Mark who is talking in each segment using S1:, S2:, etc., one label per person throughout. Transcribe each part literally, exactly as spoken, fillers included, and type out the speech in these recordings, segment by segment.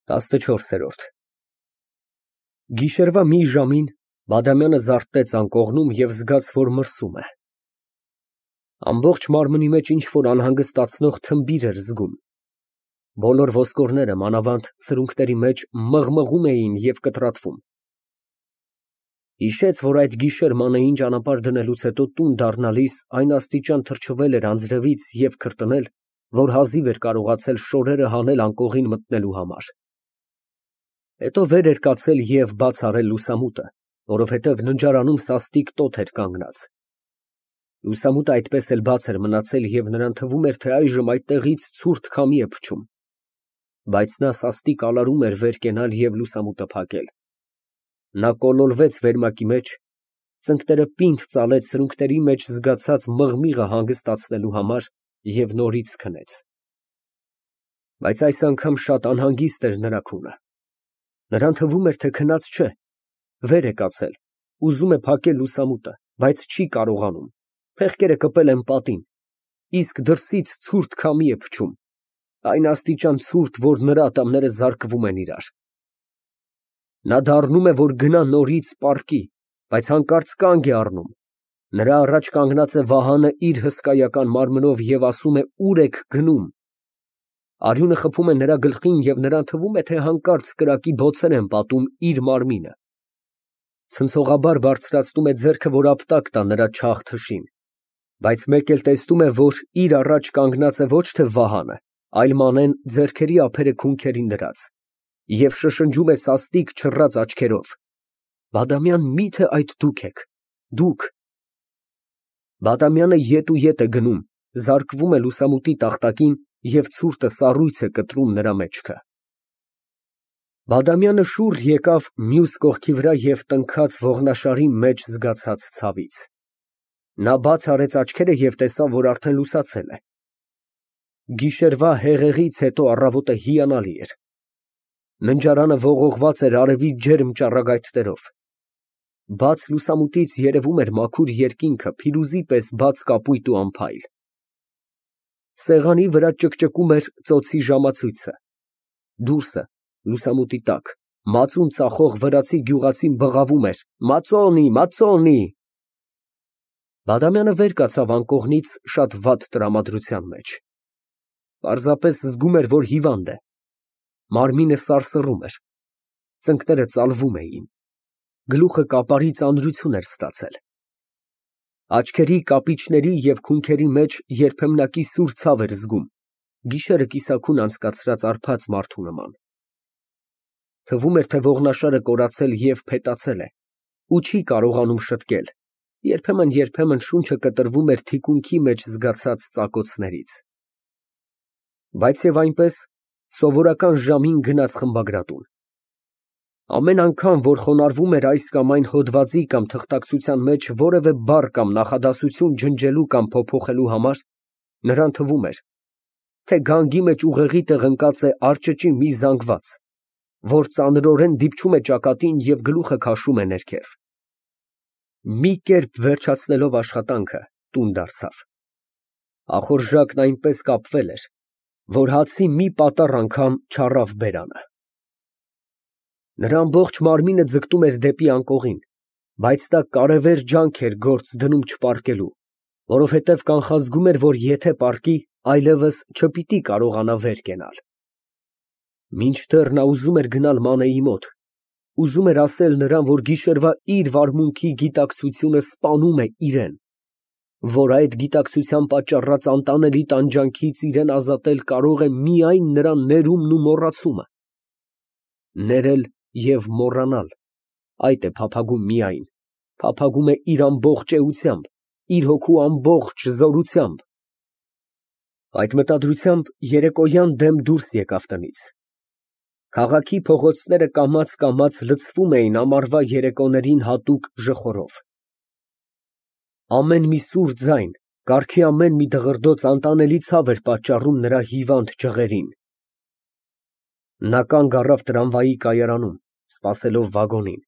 S1: տասնչորսերորդ Գիշերվա մի ժամին Բադամյանը զարթնեց անկողնում և զգաց, որ մրսում է։ Ամբողջ մարմնի մեջ ինչ֊որ անհանգստացնող թմբիր էր զգում։ Բոլոր ոսկորները, մանավանդ սրունքների մեջ, մղմղում էին և կտրատվում։ Հիշեց, որ այդ գիշեր մանեին ճանապարհ դնելուց հետո տուն դառնալիս այն աստիճան թրջվել էր անձրևից և քրտնել, որ հազիվ էր կարողացել շորերը հանել անկողին մտնելու համար։ Հետո վեր էր կացել և բաց արել լուսամուտը, որովհետև ննջարանում սաստիկ տոթ էր կանգնած։ Լուսամուտը այդպես էլ բաց էր մնացել և նրան թվում էր, թե այժմ այդտեղից ցուրտ քամի է փչում։ Բայց նա սաստիկալարում էր վեր կենալ և լուսամուտը փակել։ Նա կոլորվեց վերմակի մեջ, ծնկները պինդ ծալեց սրունքների մեջ զգացած մղմիղը հանգստացնելու համար և նորից քնեց։ Բայց այս անգամ շատ անհանգիստ էր նրա քունը։ Նրան թվում էր, թե քնած չէ, վեր է կացել, ուզում է փակել լուսամուտը, բայց չի կարողանում, փեղկերը կպել են պատին, իսկ դրսից ցուրտ քամի է փչում, այն աստիճան ցուրտ, որ նրա ատամները զարկվում են իրար։ Նա դառնում է, որ գնա նորից պառկի, բայց հանկարծ կանգ է առնում։ Նրա առաջ կանգնած է Վահանը իր հսկայական մարմնով և ասում է. «Ո՞ւր եք գնում»։ Արյունը խփում է նրա գլխին և նրան թվում է, թե հանկարծ կրակի բոցեր են պատում իր մարմինը։ Ցնցողաբար բարձրացնում է ձեռքը, որ ապտակ տա նրա չաղ թշին, բայց մեկ էլ տեսնում է, որ իր առաջ կանգնած է ոչ թե Վահանը, այլ Մանեն ձեռքերի ափերը քունքերին դրած և շշնջում է սաստիկ չռած աչքերով. «Բադամյան, մի՞թե այդ դուք եք, դուք»։ Բադամյանը ետ ու ետ է գնում, զարկվում է լուսամուտի տախտակին և ցուրտը սառույց է կտրում նրա մեջքը։ Բադամյանը շուռ եկավ մյուս կողքի վրա և տնքաց ողնաշարի մեջ զգացած ցավից։ Նա բաց արեց աչքերը և տեսավ, որ արդեն լուսացել է։ Գիշերվա հեղեղից հետո առավոտը հիանալի էր։ Ննջարանը ողողված էր արևի ջերմ ճառագայթներով։ Բաց լուսամուտից երևում էր մաքուր երկինքը, փիրուզի պես բաց կապույտ ու անփայլ։ Սեղանի վրա ճկճկում էր ծոցի ժամացույցը։ Դուրսը, լուսամուտի տակ, մածուն ծախող վրացի գյուղացին բղավում էր. «Մածոնի, մածոնի»։ Բադամյանը վեր կացավ անկողնից շատ վատ տրամադրության մեջ։ Պարզապես զգում էր, որ հիվանդ է։ Մարմինը սարսռում էր, ծնկները ծալվում էին, գլուխը կապարի ծանրություն էր ստացել։ Աչքերի, կապիճների և քունքերի մեջ երբեմնակի սուր ցավ էր զգում, գիշերը կիսաքուն անցկացրած արբած մարդու նման։ Թվում էր, թե ողնաշարը կորացել և փետացել է ու չի կարողանում շտկել, երբեմն֊երբեմն շունչը կտրվում էր թիկունքի մեջ զգացած ծակոցներից։ Բայց և այնպես, սովորական ժամին գնաց խմբագրատուն։ Ամեն անգամ, որ խոնարհվում էր այս կամ այն հոդվածի կամ թղթակցության մեջ որևէ բառ կամ նախադասություն ջնջելու կամ փոփոխելու համար, նրան թվում էր, թե գանգի մեջ ուղեղի տեղ ընկած է արճճի մի զանգված, որ ծանրորեն դիպչում է ճակատին և գլուխը քաշում է ներքև։ Մի կերպ վերջացնելով աշխատանքը, տուն դարձավ։ Ախորժակն այնպես կապվել էր, որ հացի մի պատառ անգամ չառավ բերանը։ Նրա ամբողջ մարմինը ձգտում էր դեպի անկողին, բայց նա կարևեր ջանք էր գործ դնում չպառկելու, որովհետև կանխազգում էր, որ եթե պառկի, այլևս չպիտի կարողանա վեր կենալ։ Մինչդեռ նա ուզում էր գնալ Մանեի մոտ, ուզում էր ասել նրան, որ գիշերվա իր վարմունքի գիտակցությունը սպանում է իրան, որ այդ գիտակցության պատճառած անտանելի տանջանքից իրան ազատել կարող է միայն նրա ներումն ու մոռացումը։ Ներել և մոռանալ, այդ է փափագում միայն, փափագում է իր ամբողջ էությամբ, իր հոգու ամբողջ զորությամբ։ Այդ մտադրությամբ երեկոյան դեմ դուրս եկավ տնից։ Քաղաքի փողոցները կամաց֊կամաց լցվում էին ամառվա երեկոներին հատուկ ժխորով։ Ամեն մի սուր ձայն, կառքի ամեն մի դղրդոց անտանելի ցավ էր պատճառում նրա հիվանդ ջղերին։ Նա կանգ առավ տրամվայի կայարանում, սպասելով վագոնին,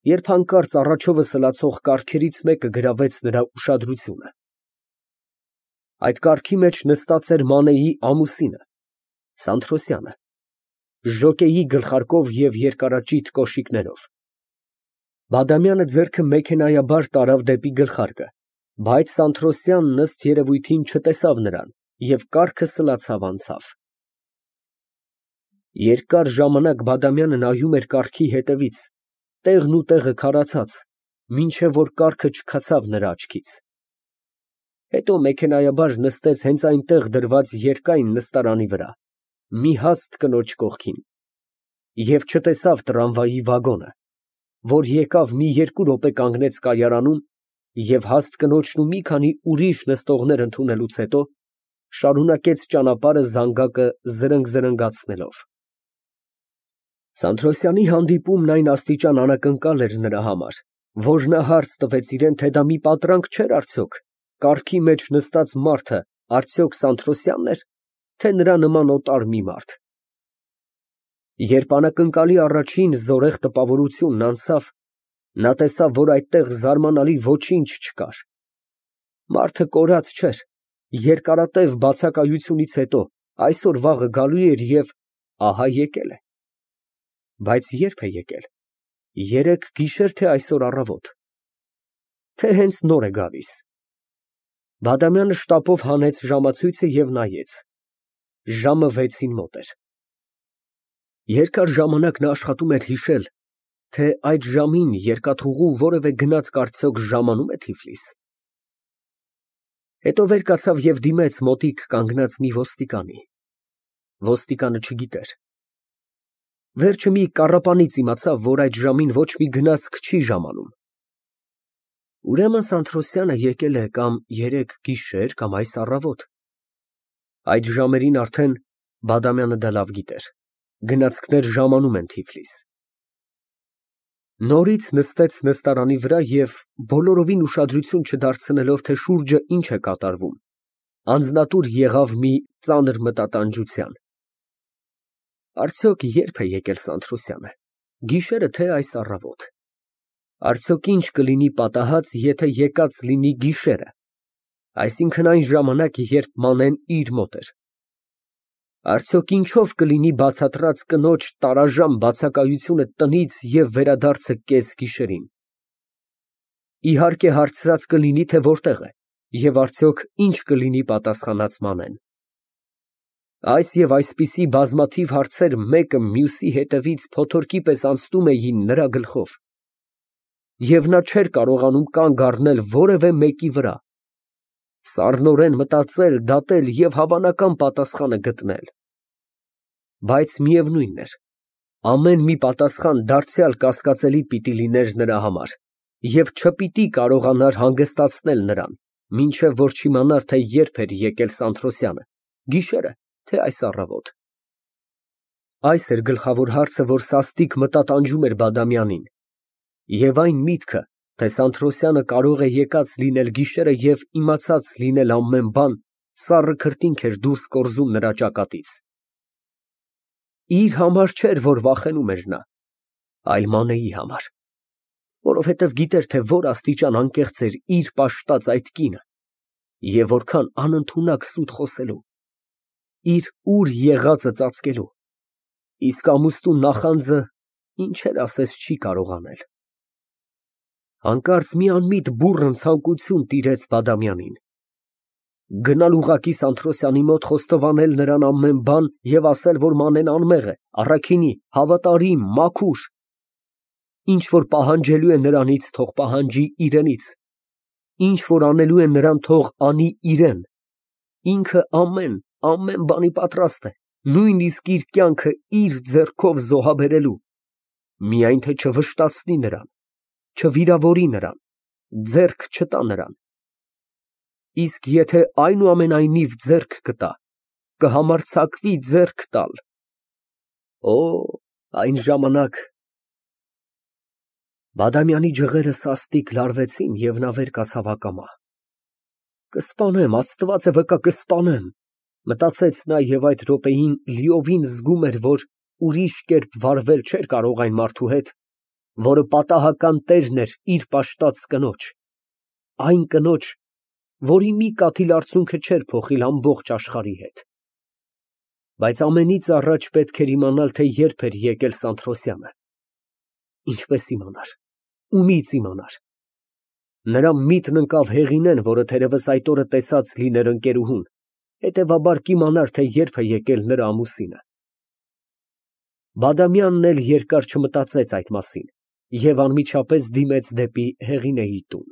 S1: երբ հանկարծ առաջովը սլացող կառքերից մեկը գրավեց նրա ուշադրությունը։ Այդ կառքի մեջ նստած էր Մանեի ամուսինը, Սանթրոսյանը։ ժոկեի գլխարկով և երկարաճիտ կոշիկներով։ Բադամյանը ձեռքը մեքենայաբար տարավ դեպի գլխարկը, բայց Սանթրոսյանն, ըստ երևույթին, չտեսավ նրան և կառքը սլացավ անցավ։ Երկար ժամանակ Բադամյանը նայում էր կառքի ետևից, տեղն ու տեղը քարացած, մինչև որ կառքը չքացավ նրա աչքից։ Հետո մեքենայաբար նստեց հենց այնտեղ դրված երկայն նստարանի վրա, մի հաստ կնոջ կողքին, և չտեսավ տրամվայի վագոնը, որ եկավ մի երկու րոպե կանգնեց կայարանում և հաստ կնոջն ու մի քանի ուրիշ նստողներ ընդունելուց հետո շարունակեց ճանապարհը զանգակը զրնգ֊զրնգացնելով։ Սանթրոսյանի հանդիպումն այն աստիճան անակնկալ էր նրա համար, որ նա հարց տվեց իրան, թե դա մի պատրանք չէր արդյոք, կառքի մեջ նստած մարդը արդյոք Սանթրոսյա՞նն էր, թե նրա նման օտար մի մարդ։ Երբ անակնկալի առաջին զորեղ տպավորությունն անցավ, նա տեսավ, որ այդտեղ զարմանալի ոչինչ չկար։ Մարդը կորած չէր, երկարատև բացակայությունից հետո այսօր֊վաղը գալու էր և ահա եկել է։ Բայց ե՞րբ է եկել, երեկ գիշե՞ր, թե այսօր առավոտ, թե հենց նոր է գալիս։ Բադամյանը շտապով հանեց ժամացույցը և նայեց։ Ժամը վեցին մոտ էր։ Երկար ժամանակ նա աշխատում էր հիշել, թե այդ ժամին երկաթուղու որևէ գնացք արդյոք ժամանո՞ւմ է Թիֆլիս։ Հետո վեր կացավ և դիմեց մոտիկ կանգնած մի ոստիկանի։ Ոստիկանը չգիտեր։ Վերջը մի կառապանից իմացավ, որ այդ ժամին ոչ մի գնացք չի ժամանում։ Ուրեմն Սանթրոսյանը եկել է կամ երեկ գիշեր, կամ այս առավոտ։ Այդ ժամերին արդեն, Բադամյանը դա լավ գիտեր, գնացքներ ժամանում են Թիֆլիս։ Նորից նստեց նստարանի վրա և, բոլորովին ուշադրություն չդարձնելով, թե շուրջը ինչ է կատարվում, անձնատուր եղավ մի ծանր մտատանջության։ Արդյոք ե՞րբ է եկել Սանթրոսյանը, գիշերը, թե այս առավոտ։ Արդյոք ինչ կլինի պատահած, եթե եկած լինի գիշերը, այսինքն այն ժամանակ, երբ Մանեն իր մոտ էր։ Արդյոք ինչով կլինի բացատրած կնոջ տարաժամ բացակայությունը տնից և վերադարձը կեսգիշերին։ Իհարկե հարցրած կլինի, թե որտեղ է, և արդյոք ինչ կլինի պատասխանած Մանեն։ Այս և այսպիսի բազմաթիվ հարցեր մեկը մյուսի հետևից փոթորկի պես անցնում էին նրա գլխով, և նա չէր կարողանում կանգ առնել որևէ մեկի վրա, սառնորեն մտածել, դատել և հավանական պատասխանը գտնել։ Բայց միևնույն էր, ամեն մի պատասխան դարձյալ կասկածելի պիտի լիներ նրա համար և չպիտի կարողանար հանգստացնել նրան, մինչև որ չիմանար, թե երբ էր եկել Սանթրոսյանը, գիշերը, թե այս առավոտ։ Այս էր գլխավոր հարցը, որ սաստիկ մտատանջում էր Բադամյանին, և այն միտքը, թե Սանթրոսյանը կարող է եկած լինել գիշերը և իմացած լինել ամեն բան, սառը քրտինք էր դուրս կորզում նրա ճակատից։ Իր համար չէր, որ վախենում էր նա, այլ Մանեի համար, որովհետև գիտեր, թե որ աստիճան անկեղծ էր իր պաշտած այդ կինը և որքան անընդունակ սուտ խոսելու, իր ուր եղածը ծածկելու, իսկ ամուսնու նախանձը ինչեր ասես չի կարող անել։ Հանկարծ մի անմիտ բուռն ցանկություն տիրեց Բադամյանին։ Գնալ ուղղակի Սանթրոսյանի մոտ խոստովանել նրան ամեն բան և ասել, որ Մանեն անմեղ է, առաքինի, հավատարիմ, մաքուր։ Ինչ որ պահանջելու է նրանից, թող պահանջի իրենից, ինչ որ անելու է նրան, թող անի իրեն, ինքը ամեն, ամեն բանի պատրաստ է, նույնիսկ իր կյանքը իր ձեռքով զոհաբերելու, միայն թե չվշտացնի նրան, չվիրավորի նրան, ձեռք չտա նրան։ Իսկ եթե այնուամենայնիվ ձեռք կտա, կհամարձակվի ձեռք տալ։ Օ, այն ժամանակ… Բադամյանի ջղերը սաստիկ լարվեցին, և նա վեր կացավ ակամա։ Կսպանեմ, Աստված է վկա, կսպանեմ, մտածեց նա և այդ րոպեին լիովին զգում էր, որ ուրիշ կերպ վարվել չէր կարող այն մարդու հետ, որը պատահական տերն էր իր պաշտած կնոջ, այն կնոջ, որի մի կաթիլ արցունքը չէր փոխիլ ամբողջ աշխարհի հետ։ Բայց ամենից առաջ պետք էր իմանալ, թե երբ էր եկել Սանթրոսյանը։ Ինչպես իմանար, ումի՞ց իմանար։ Նրա միտքն ընկավ Հեղինեն, որը թերևս այդ օրը տեսած լիներ ընկերուհուն, հետևաբար կիմանար, թե երբ է եկել նրա ամուսինը։ Բադամյանն էլ երկար չմտածեց այդ մասին և անմիջապես դիմեց դեպի Հեղինեի տուն։